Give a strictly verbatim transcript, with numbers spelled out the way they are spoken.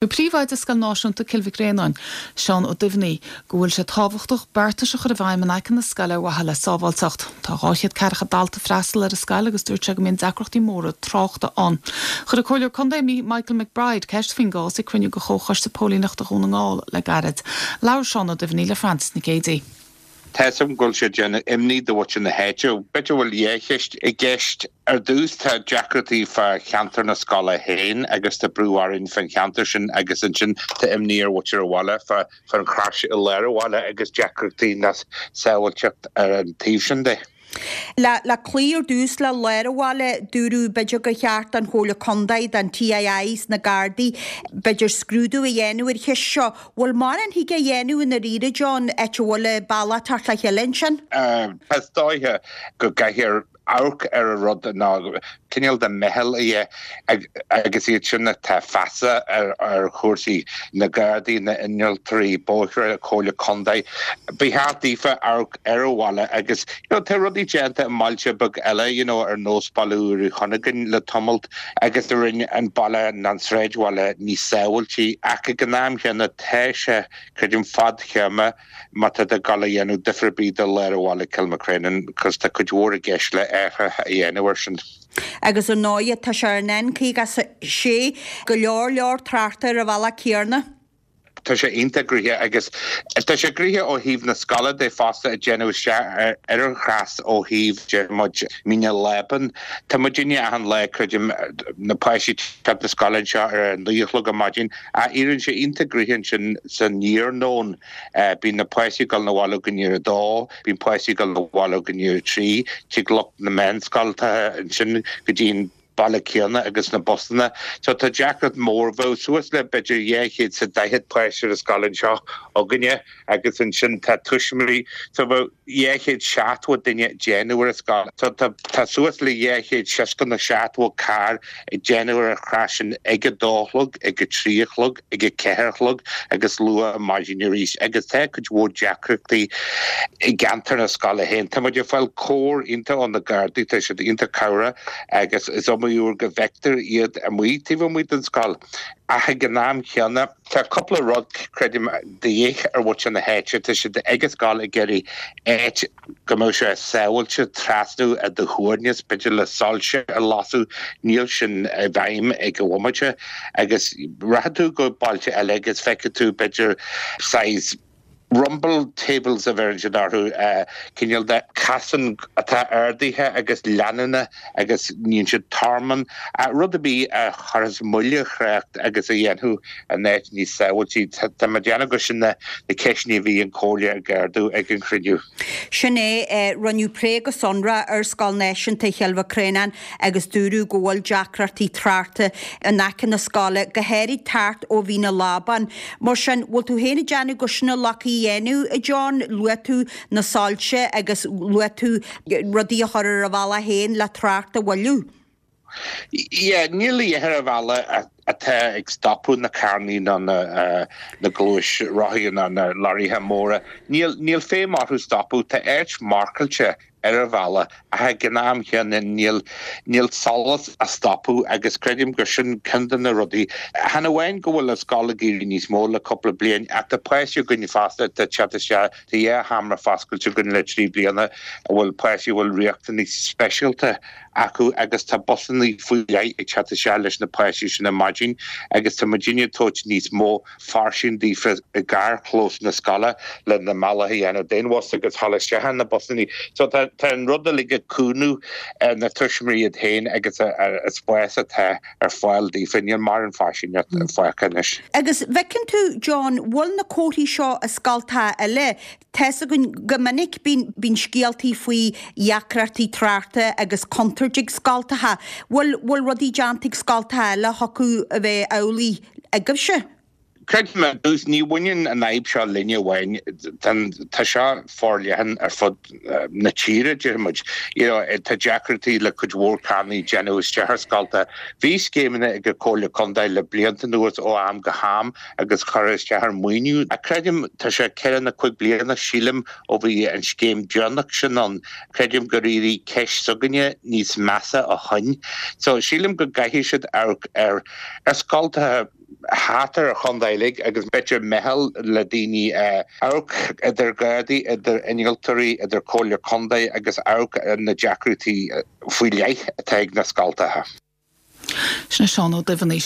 Príomhoide Scoil Náisiúnta Cill Mhic Réanáin, Seán Ó Duibhní, go bhfuil sé tábhachtach beartais a chur i bhfeidhm in aice na scoile ar mhaithe le sábháilteacht. Tá dhá chéad ceathracha dalta ag freastal ar an scoil agus dúirt sé go mbíonn deacrachtaí móra tráchta ann. Chuir an Comhairleoir Contae Michael McBride ceist faoin gcás ag cruinniú de Chomhchoiste Póilíneachta Dhún na nGall le gairid. Labhair Seán Ó Duibhní le Frances Nic Géadaigh. Tá a fhios agam go bhfuil sé déanamh imní do mhuintir na háite. B'fhéidir bhfuil dhá cheist i gceist ar dtús tá deacrachtaí fá cheantar na scoile féin agus tá brú orainn fán cheantar sin agus ansin tá imní ar mhuintir an bhaile fá fán chrois i lár an bhaile agus deacrachtaí na sábháilteacht ar an taobh sin de. Le le cloí ar dtús le lár an bhaile dúradh b'fhéidir gur cheart don Chomhairle Contae don TII is na Gardaí b'fhéidir scrúdú a dhéanamh ar cheist seo. Bhfuil mórán thig a dhéanamh i ndáiríre John áit a bhfuil bealach teacht le chéile ansin? Is dóiche go gcaithfear amharc ar an rud ná cineál de meitheal a agus iad sin atá feasa ar ar chúrsaí na Gardaí na innealtóirí bóithre Comhairle Contae. Ba cheart daofa amharc ar an bhaile agus you know, tá rudaí déanta i mbailte beag eile you know, ar nós Baile Uí Chunagáin le tamalt agus a rinne an baile an sráidbhaile níos sábháilte ach ag an am chéanna tá sé creidim fadtéarma má tá ag gabháil a dhéanamh difear ar bith do lár an bhaile Kilmacrennan, cos tá cuid mhór i gceist le athruithe a dhéanamh ar sin. Agus ar ndóigh tá sé ar an N caoga sé go leor leor tráchta ar an bhealach céanna. Tá sé iontach gnoitheach agus tá sé gnoitheach ó thaobh na scoile de fosta ag déanamh isteach ar an chrois ó thaobh deir muid Mín na Lában. Tá muidinne achan lá creidim na páistí teacht na scoile anseo ar a naoi a chlog ar maidin a éiríonn sé iontach gnoitheach ansin san iarnóin. Bíonn na páistí ag dul 'na bhaile go ndiaidh a dó, bíonn páistí ag dul 'na bhaile go ndiaidh a trí, tig lucht na meánscoilte ansin go dtí an baile céanna agus na busanna. So tá deacracht mór bheadh suas le b'fhéidir dhá chéad is daichead páiste ar an scoil anseo againne agus ansin tá tuismitheoirí so bheadh dhá chéad seachtó duine ag déanamh ar an scoil. So tá tá suas le dhá chéad seasca nó seachtó carr ag déanamh ar an chrois sin ag a dó a chlog, ag a trí a chlog, ag a ceathair a chlog agus luath ar maidin arís agus tá cuid mhór deacrachtaí i gceantar na scoile féin. Tá muid ag fáil cabhair iontach ó na Gardaí, tá siad iontach cabhrach agus is iomaí uair go bhfeictear iad amuigh taobh amuigh den scoil. Ach ag an am chéanna tá cúpla rud creidim de dhíth ar mhuintir na háite, tá siad ag an scoil ag iarraidh áit go mbeadh sé sábháilte trasnú i do shuaimhneas, b'fhéidir le soilse a lasadh, níl sin i bhfeidhm ag an bhomaite agus rachaidh tú go bailte eile agus feicfidh tú b'fhéidir saghas rumble tables a bheireann siad orthu, cineál de chasán atá ardaithe agus leanúna agus níonn siad tormán, rud ar bith a chuirfeas moill ar thrácht agus a dhéanfadh an áit níos sábháilte. Tá mé ag déanamh gur sin na ceisteanna a bhí an Chomhairle ag ardú ag an chruinniú. Sin é, rinneadh plé go sonrach ar Scoil Náisiúnta Chill Mhic Réanáin agus dúradh go bhfuil deacrachtaí tráchta in aice na scoile, go háirid tart ó Mhín na Lábán. Mar sin, bhfuil tú féin ag déanamh gur sin a ghlacfaí a dhéanamh, a John? Luaigh tú na soilse agus luaigh tú rudaí a chur ar an bhealach féin le trácht a mhoilliú. Yeah, níl a dhath ar an bhealach atá ag stopadh na carrannaí ná na na gluaisrothaí ná na leoraithe móra. Níl níl feidhm orthu stopadh, tá áit marcáilte ar an bhealach ach ag an am chéanna níl níl solas á stopadh agus creidim gur sin ceann de na rudaí. Chan amháin go bhfuil an scoil ag éirí níos mó le cúpla bliain ach tá páistí againn fosta atá ag teacht isteach, tá dhá sheomra foscailte againn le trí bliana a bhfuil páistí a bhfuil riachtanais speisialta acu agus tá busanna faoi leith ag teacht isteach leis na páistí sin ar maidin agus tá muidinne ag tabhairt níos mó fairsing daofa i gcarrchlós na scoile le na mbealach a dhéanamh d'aon bhus agus dhul isteach ar na busanna. So tá tá an rud uilig ag cúnamh ar na tuismitheoirí iad féin agus an spás atá ar fáil daofa. Níl mórán fairsingeacht fágtha anois. Agus bhfeiceann tú, John, bhfuil na comharthaí seo i scoltacha eile, tá's againn go minic bíonn bíonn scéaltaí faoi dheacrachtaí tráchta agus contúirt ag scoltacha. Bhfuil bhfuil rudaí déanta ag scoltacha eile a thiocfadh a bheith amhlaidh agaibhse? Creidim ar dtús, ní bhaineann an fhadhb seo linne amháin, tá seo forleathan ar fud na tíre, déarfaidh muid. You know, tá deacrachtaí le cuid mhór carrannaí déanamh isteach ar scoltacha. Bhí scéimeanna ag an Comhairle Contae le blianta anuas ó am go ham agus curtha isteach ar maoiniú. Ach creidim, tá sé ceithre nó cúig bliana, sílim, ó bhí an scéim deireanach sin ann. Creidim gur éirigh ceist s'againne níos measa ó shin. So sílim go gcaithfidh siad amharc ar ar scoltacha thart ar an chontae uilig agus b'fhéidir meitheal le daoine amharc idir Gardaí, idir innealtóirí, idir Comhairle Contae agus amharc ar na deacrachtaí faoi leith atá ag na scoltacha. Sin Seán Ó Duibheannaigh.